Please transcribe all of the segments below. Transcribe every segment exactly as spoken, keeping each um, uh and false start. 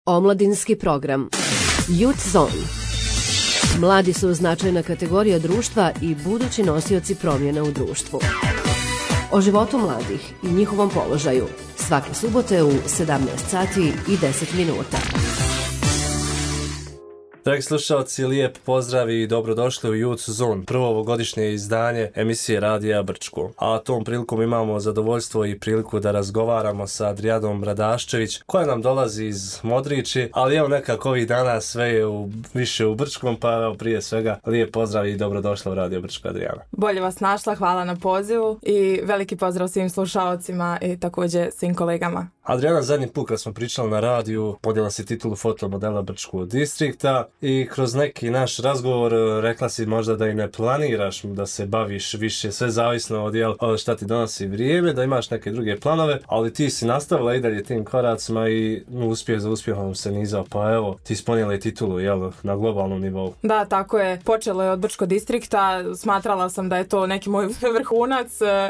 Omladinski program Youth Zone. Mladi su značajna kategorija društva i budući nosioci promjena u društvu. O životu mladih i njihovom položaju svake subote u sedamnaest sati i deset minuta. Dragi slušalci, lijep pozdrav i dobrodošli u Youth Zone, prvo ovogodišnje izdanje emisije Radija Brčko. A tom prilikom imamo zadovoljstvo i priliku da razgovaramo sa Adrijanom Bradaščević, koja nam dolazi iz Modriči, ali evo nekako ovih dana sve je u, više u Brčkom, pa evo prije svega lijep pozdrav i dobrodošla u Radio Brčko, Adrijana. Bolje vas našla, hvala na pozivu i veliki pozdrav svim slušalcima i također svim kolegama. Adrijana, zadnji put kad smo pričali na radiju, podijela si titulu fotomodela Brčkog distrikta i kroz neki naš razgovor rekla si možda da i ne planiraš da se baviš više, sve zavisno od jel, šta ti donosi vrijeme, da imaš neke druge planove, ali ti si nastavila i dalje tim koracima i uspjeh za uspjehom se nizao, pa evo, ti ispunila i titulu jel, na globalnom nivou. Da, tako je. Počelo je od Brčkog distrikta, smatrala sam da je to neki moj vrhunac,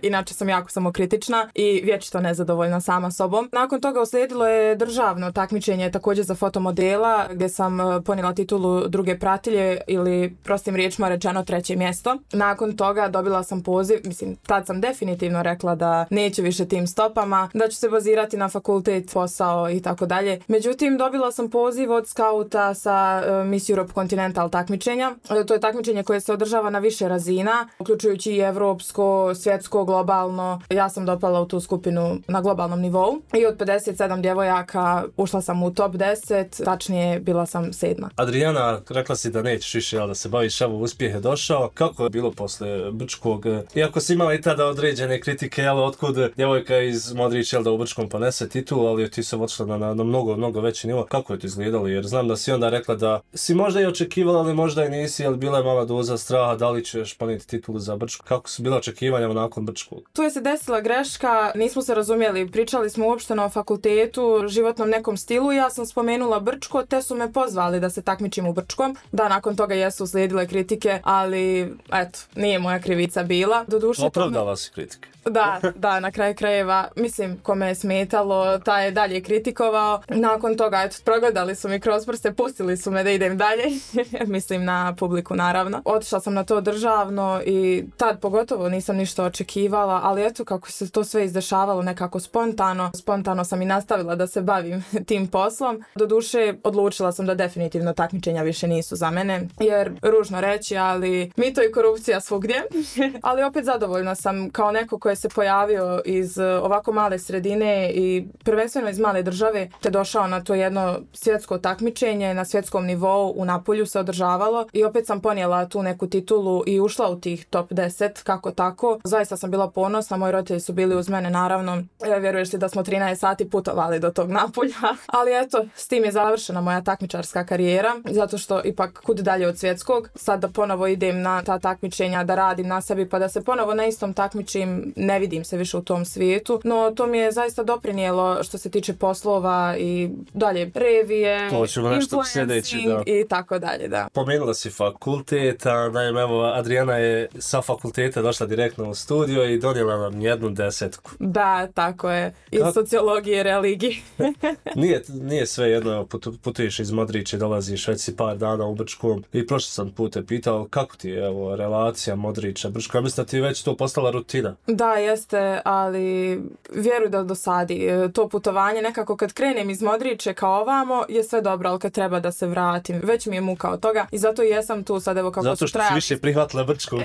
inače sam jako samokritična i vječito nezadovoljna sama sobom. Nakon toga uslijedilo je državno takmičenje također za fotomodela gdje sam ponijela titulu druge pratilje ili prostim riječima rečeno treće mjesto. Nakon toga dobila sam poziv, mislim tad sam definitivno rekla da neću više tim stopama, da ću se bazirati na fakultet, posao i tako dalje. Međutim, dobila sam poziv od skauta sa uh, Miss Europe Continental takmičenja. To je takmičenje koje se održava na više razina, uključujući i evropsko, svjetsko, globalno. Ja sam dopala u tu skupinu na globalnom nivou i od pedeset sedam djevojaka ušla sam u top deset, tačnije bila sam sedma. Adrijana, rekla si da nećeš više, jel, da se baviš, evo uspjeh je došao. Kako je bilo posle Brčkog? Iako si imala i tada određene kritike, jel, otkud djevojka iz Modrića, jel, da u Brčkom ponese titul, ali ti se odšla na, na, na mnogo, mnogo veći nivo. Kako je to izgledalo? Jer znam da si onda rekla da si možda i očekivala, ali možda i nisi, jel, bila je mala doza straha, da li ćeš ponijeti titulu za Brčko? Kako su bila očekivanja nakon Brčkog? Tu je se desila greška, nismo se razumjeli, pričali smo uopšteno o fakultetu, životnom nekom stilu, ja sam spomenula Brčko, te su me pozvali da se takmičim u Brčkom. Da, nakon toga jesu slijedile kritike, ali eto, nije moja krivica bila. Doduše, opravdala me... si kritike. Da, da, na kraju krajeva, mislim, kome je smetalo, taj je dalje kritikovao. Nakon toga, eto, progledali su mi kroz prste, pustili su me da idem dalje, mislim na publiku naravno. Otišla sam na to državno i tad pogotovo nisam ništa očekivala, ali eto kako se to sve izdešavalo nekako spontano. Spontano sam i nastavila da se bavim tim poslom. Doduše, odlučila sam da definitivno takmičenja više nisu za mene, jer ružno reći, ali mito i korupcija svugdje. Ali opet zadovoljna sam kao neko koji se pojavio iz ovako male sredine i prvenstveno iz male države, te došao na to jedno svjetsko takmičenje na svjetskom nivou, u Napulju se održavalo i opet sam ponijela tu neku titulu i ušla u tih top deset, kako tako. Zaista sam bila ponosna, moji roditelji su bili uz mene naravno. E, vjeruješ li da smo trinaest sati putovali do tog Napulja, ali eto, s tim je završena moja takmičarska karijera, zato što ipak kud dalje od svjetskog, sad da ponovo idem na ta takmičenja, da radim na sebi pa da se ponovo na istom takmičim, ne vidim se više u tom svijetu, no to mi je zaista doprinijelo što se tiče poslova i dalje revije, influencing i tako dalje, da. Pomenula si fakultet, a naime, evo, Adrijana je sa fakulteta došla direktno u studio i donijela nam jednu desetku. Da, tako je, iz Kako? sociologije i religije. nije, nije sve jedno, putuješ iz Modrića, dolaziš već si par dana u Brčkom i prošli sam put te pitao kako ti je evo, relacija Modrića, Brčko, ja mislim da ti je već to postala rutina. Da, jeste, ali vjeruj da dosadi. To putovanje nekako kad krenem iz Modriće kao ovamo je sve dobro, ali kad treba da se vratim, već mi je muka od toga i zato i jesam tu sad evo kako zato što si više prihvatila Brčko.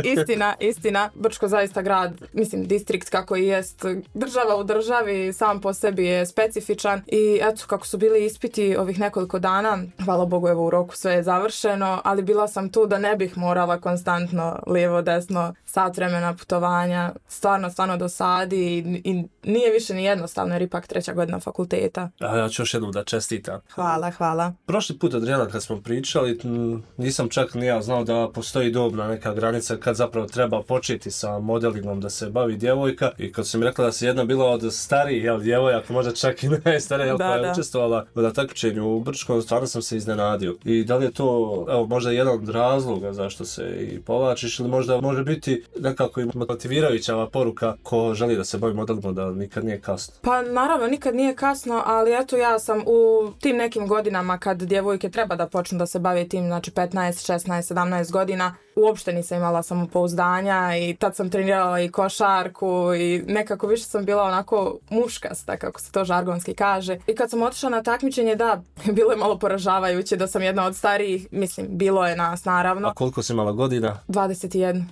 istina, istina. Brčko zaista grad, mislim distrikt kako i jest, država u državi, sam po sebi je specifičan i eto kako su bili ispiti ovih nekoliko dana, hvala Bogu evo u roku sve je završeno, ali bila sam tu da ne bih morala konstantno lijevo desno sat vremena putovanja, stvarno, stvarno dosadi i, i nije više ni jednostavno jer ipak treća godina fakulteta. A ja ću još jednom da čestitam. Hvala, hvala. Prošli put, Adrijana, kad smo pričali, nisam čak ni ja znao da postoji dobna neka granica kad zapravo treba početi sa modelingom da se bavi djevojka i kad sam rekla da se jedna bila od starijih jel, djevojaka, možda čak i najstarija, jel, Da, koja je da. učestvovala na takmičenju u Brčkom, stvarno sam se iznenadio. I da li je to, evo, možda jedan od razloga zašto se i povlačiš, ili možda može biti nekako i motivirajuća ova poruka ko želi da se bavi modelima, da nikad nije kasno. Pa naravno, nikad nije kasno, ali eto ja sam u tim nekim godinama kad djevojke treba da počnu da se bave tim, znači petnaest, šesnaest, sedamnaest godina, uopšte nisam imala samopouzdanja i tad sam trenirala i košarku i nekako više sam bila onako muškasta, kako se to žargonski kaže. I kad sam otišla na takmičenje, da, bilo je malo poražavajuće da sam jedna od starijih, mislim, bilo je nas naravno. A koliko si imala godina? dvadeset jedan.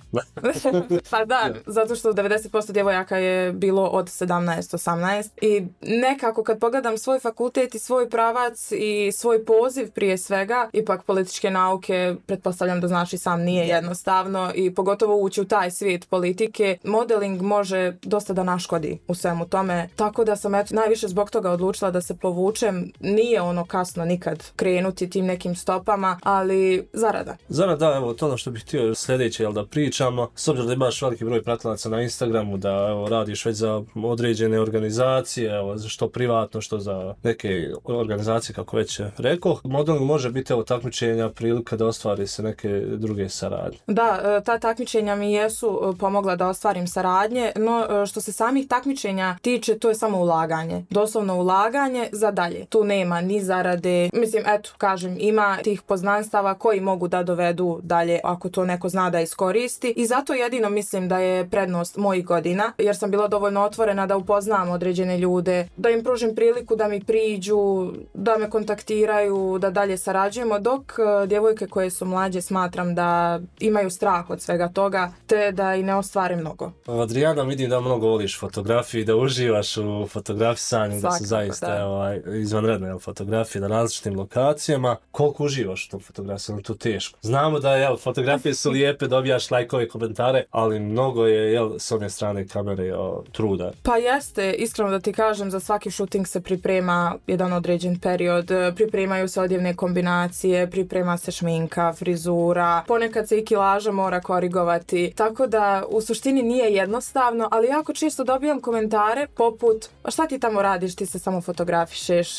Pa da, zato što devedeset posto djevojaka je bilo od sedamnaest osamnaest i nekako kad pogledam svoj fakultet i svoj pravac i svoj poziv prije svega, ipak političke nauke, pretpostavljam da znaš i sam, nije jednostavno i pogotovo ući u taj svijet politike, modeling može dosta da naškodi u svemu tome, tako da sam eto najviše zbog toga odlučila da se povučem. Nije ono kasno nikad krenuti tim nekim stopama, ali zarada. Zarada, da, evo, to ono što bih htio sljedeće, jel, da pričamo, s obzirom da imaš veliki broj pratilaca na Instagramu, da evo, radiš već za određene organizacije, evo, što privatno, što za neke organizacije, kako već rekao, modeling može biti, evo, takmičenja, prilika da ostvari se neke druge saradnje. Da, ta takmičenja mi jesu pomogla da ostvarim saradnje, no što se samih takmičenja tiče, to je samo ulaganje. Doslovno ulaganje za dalje. Tu nema ni zarade. Mislim, eto, kažem, ima tih poznanstava koji mogu da dovedu dalje ako to neko zna da iskoristi. I zato jedino mislim da je prednost mojih godina, jer sam bila dovoljno otvorena da upoznam određene ljude, da im pružim priliku da mi priđu, da me kontaktiraju, da dalje sarađujemo, dok djevojke koje su mlađe smatram da imaju strah od svega toga, te da i ne ostvare mnogo. Adriana, vidim da mnogo voliš fotografiju i da uživaš u fotografisanju, da su zaista da. Ovaj, izvanredne fotografije na različitim lokacijama. Koliko uživaš u tom fotografiju? To teško. Znamo da jel, fotografije su lijepe, dobijaš lajkove, komentare, ali mnogo je jel, s one strane kamere o, truda. Pa jeste, iskreno da ti kažem, za svaki shooting se priprema jedan određen period, pripremaju se odjevne kombinacije, priprema se šminka, frizura, ponekad se i kilaža mora korigovati, tako da u suštini nije jednostavno, ali jako često dobijam komentare poput, a šta ti tamo radiš, ti se samo fotografišeš,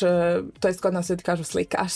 to jest kod nas ljudi kažu slikaš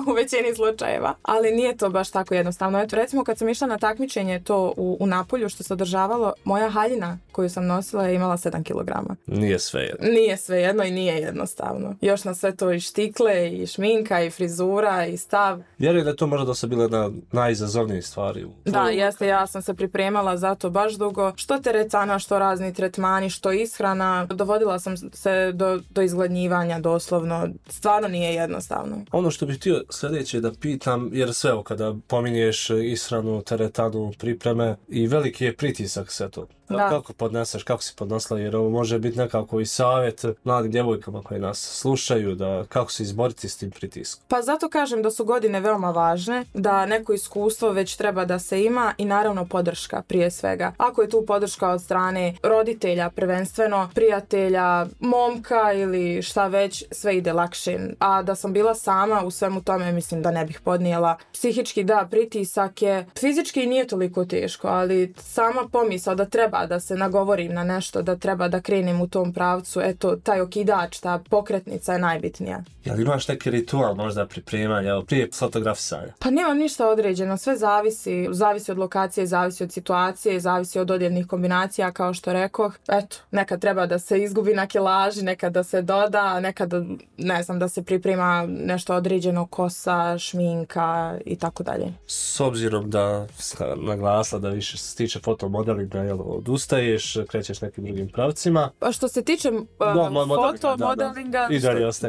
u većini slučajeva, ali nije to baš tako jednostavno. Eto, recimo kad sam išla na takmičenje to u, u Napolju što se održavalo, moja haljina koju sam nosila je imala sedam kilograma. Nije sve jedno. Nije sve jedno i nije jednostavno. Još na sve to i štikle, i šminka, i frizura, i stav. Vjerujem da je to možda dosta bila jedna najizazovnijih stvari. Da, jeste, ja sam se pripremala za to baš dugo. Što teretana, što razni tretmani, što ishrana. Dovodila sam se do, do izgladnjivanja doslovno. Stvarno nije jednostavno. Ono što bih htio sljedeće da pitam, jer sve ovo kada pominješ ishranu, teretanu, pripreme i veliki je pritisak sve to. Da. Kako podneseš, kako si podnosila, jer ovo može biti nekako i savjet mladim djevojkama koji nas slušaju, da kako se izboriti s tim pritiskom. Pa zato kažem da su godine veoma važne, da neko iskustvo već treba da se ima i naravno podrška prije svega. Ako je tu podrška od strane roditelja prvenstveno, prijatelja, momka ili šta već, sve ide lakše. A da sam bila sama u svemu tome, mislim da ne bih podnijela. Psihički da, pritisak je, fizički nije toliko teško, ali sama pomisao da treba da se nagovorim na nešto, da treba da krenem u tom pravcu, eto, taj okidač, ta pokretnica je najbitnija. Jel imaš neki ritual možda pripremanja, prije fotografisanja? Pa nemam ništa određeno, sve zavisi, zavisi od lokacije, zavisi od situacije, zavisi od odjevnih kombinacija, kao što rekoh. Eto, nekad treba da se izgubi na kilaži, nekad da se doda, nekad, ne znam, da se priprema nešto određeno, kosa, šminka i tako dalje. S obzirom da naglasila da više se tiče fotomodelinga, jel, odustaješ, krećeš nekim drugim pravcima. Pa što se tiče uh, fotomodelinga,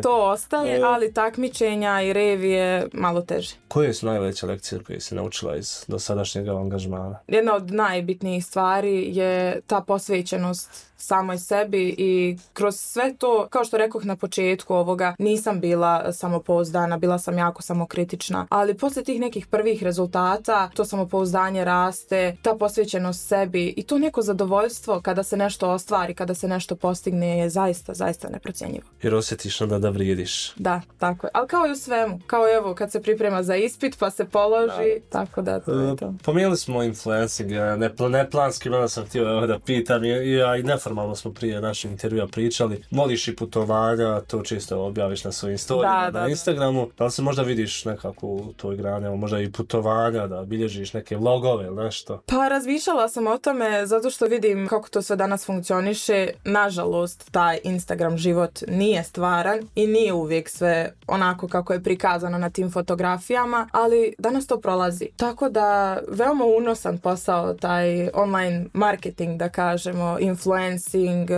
to ostaje, ali takmičenja i revije malo teže. Koje su najveće lekcije koje si naučila iz dosadašnjeg angažmana? Jedna od najbitnijih stvari je ta posvećenost samoj sebi i kroz sve to, kao što rekoh na početku ovoga, nisam bila samopouzdana, bila sam jako samokritična, ali poslije tih nekih prvih rezultata to samopouzdanje raste, ta posvećenost sebi i to neko zadovoljstvo kada se nešto ostvari, kada se nešto postigne je zaista, zaista neprocjenjivo. Jer osjetiš onda da vrijediš. Da, tako je. Ali kao i u svemu, kao evo kad se priprema za ispit pa se položi, da. Tako da... To je. to. Pomijenili smo influencing, ne, neplanski, malo sam htio da pitam, i, ja i neformalno smo prije našeg intervjua pričali, voliš i putovanja, to čisto objaviš na svojim storijima, da, da, na Instagramu, da li se možda vidiš nekako u toj grani, možda i putovanja, da bilježiš neke vlogove ili nešto? Pa razmišljala sam o tome zato što vidim kako to sve danas funkcioniše. Nažalost, taj Instagram život nije stvaran i nije uvijek sve onako kako je prikazano na tim fotografijama, ali danas to prolazi. Tako da veoma unosan posao taj online marketing, da kažemo, influencing,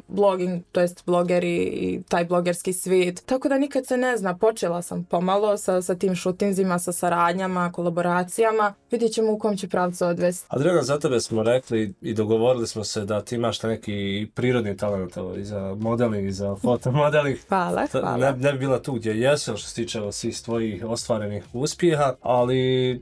blogging, to jest blogeri i taj blogerski svijet. Tako da nikad se ne zna, počela sam pomalo sa, sa tim šutinzima, sa saradnjama, kolaboracijama. Vidjet ćemo u kom će pravcu odvesti. Adriana, za tebe smo rekli i dogovorili smo se da ti imaš neki prirodni talent i za modeling i za fotomodeling. Hvala, hvala. Ne, ne bi bila tu gdje jesi, što se tiče svih tvojih ostvarenih uspjeha, ali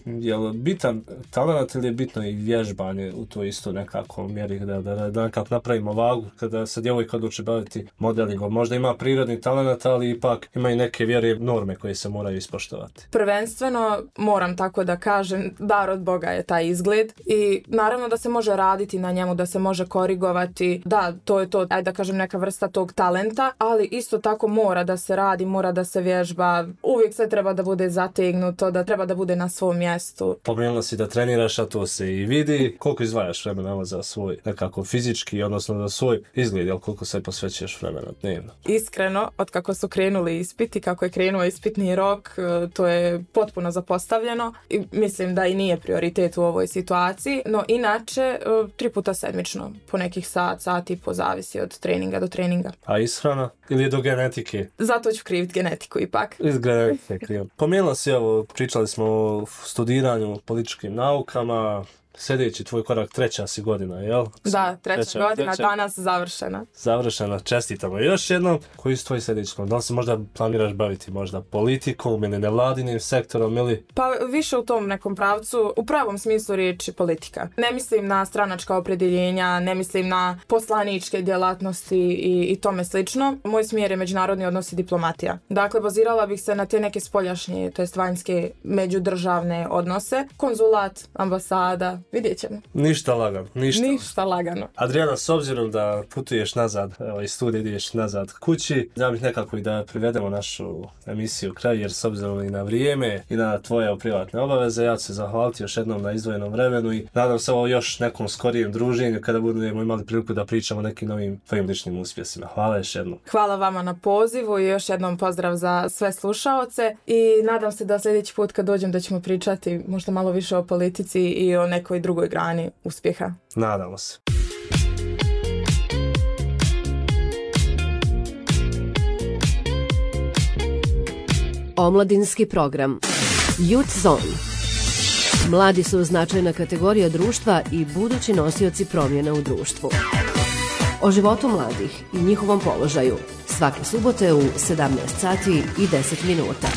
je li bitan talent ili je bitno i vježbanje u to isto nekako mjeri, da, da, da nekako napravimo vagu kada se djevojka odluči baviti modelingom. Možda ima prirodni talent, ali ipak ima i neke vjere norme koje se moraju ispoštovati. Prvenstveno, moram tako da kažem, dar od Boga je taj izgled i naravno da se može raditi na njemu, da se može korigovati, da, to je to, ajde da kažem, neka vrsta tog talenta, ali isto tako mora da se radi, mora da se vježba, uvijek sve treba da bude zategnuto, da treba da bude na svom mjestu. Pomenula si da treniraš, a to se i vidi. Koliko izdvajaš vremena za svoj nekako fizički, odnosno za svoj izgled, jel koliko se posvećuješ vremena dnevno? Iskreno, od kako su krenuli ispiti, kako je krenuo ispitni rok, to je potpuno zapostavljeno i mislim da i nije prioritet u ovoj situaciji, no inače tri puta sedmično, po nekih sat, sat i po, zavisi od treninga do treninga. A ishrana? Ili do genetike? Zato ću kriviti genetiku ipak. Iz genetike krijem. Pomenula si, evo, pričali smo o studiranju političkim naukama, sljedeći tvoj korak, treća si godina, jel? Da, treća, treća godina, treća, danas završena. Završena, čestitamo. Još jednom, koji su tvoji sljedeći korak? Da li se možda planiraš baviti možda politikom ili nevladinim sektorom ili? Pa više u tom nekom pravcu, u pravom smislu riječi politika. Ne mislim na stranačka opredjeljenja, ne mislim na poslaničke djelatnosti i, i tome slično. Moj smjer je međunarodni odnos i diplomatija. Dakle, bazirala bih se na te neke spoljašnje, to jest vanjske međudržavne odnose. Konzulat, ambasada, vidjet ćemo. Ništa lagano. Ništa. Ništa lagano. Adriana, s obzirom da putuješ nazad, evo iz studija ideš nazad kući, da bih nekako i da privedemo našu emisiju kraj, jer s obzirom i na vrijeme i na tvoje privatne obaveze, ja ću se zahvaliti još jednom na izdvojenom vremenu i nadam se ovo još nekom skorijem druženju kada budemo imali priliku da pričamo o nekim novim tvojim ličnim uspjesima. Hvala još jednom. Hvala vama na pozivu i još jednom pozdrav za sve slušaoce i nadam se da sljedeći put kad dođem da ćemo pričati možda malo više o politici i o nekoj drugoj grani uspjeha. Nadamo se. Omladinski program Youth Zone. Mladi su značajna kategorija društva i budući nosioci promjena u društvu. O životu mladih i njihovom položaju svake subote u sedamnaest sati i deset minuta.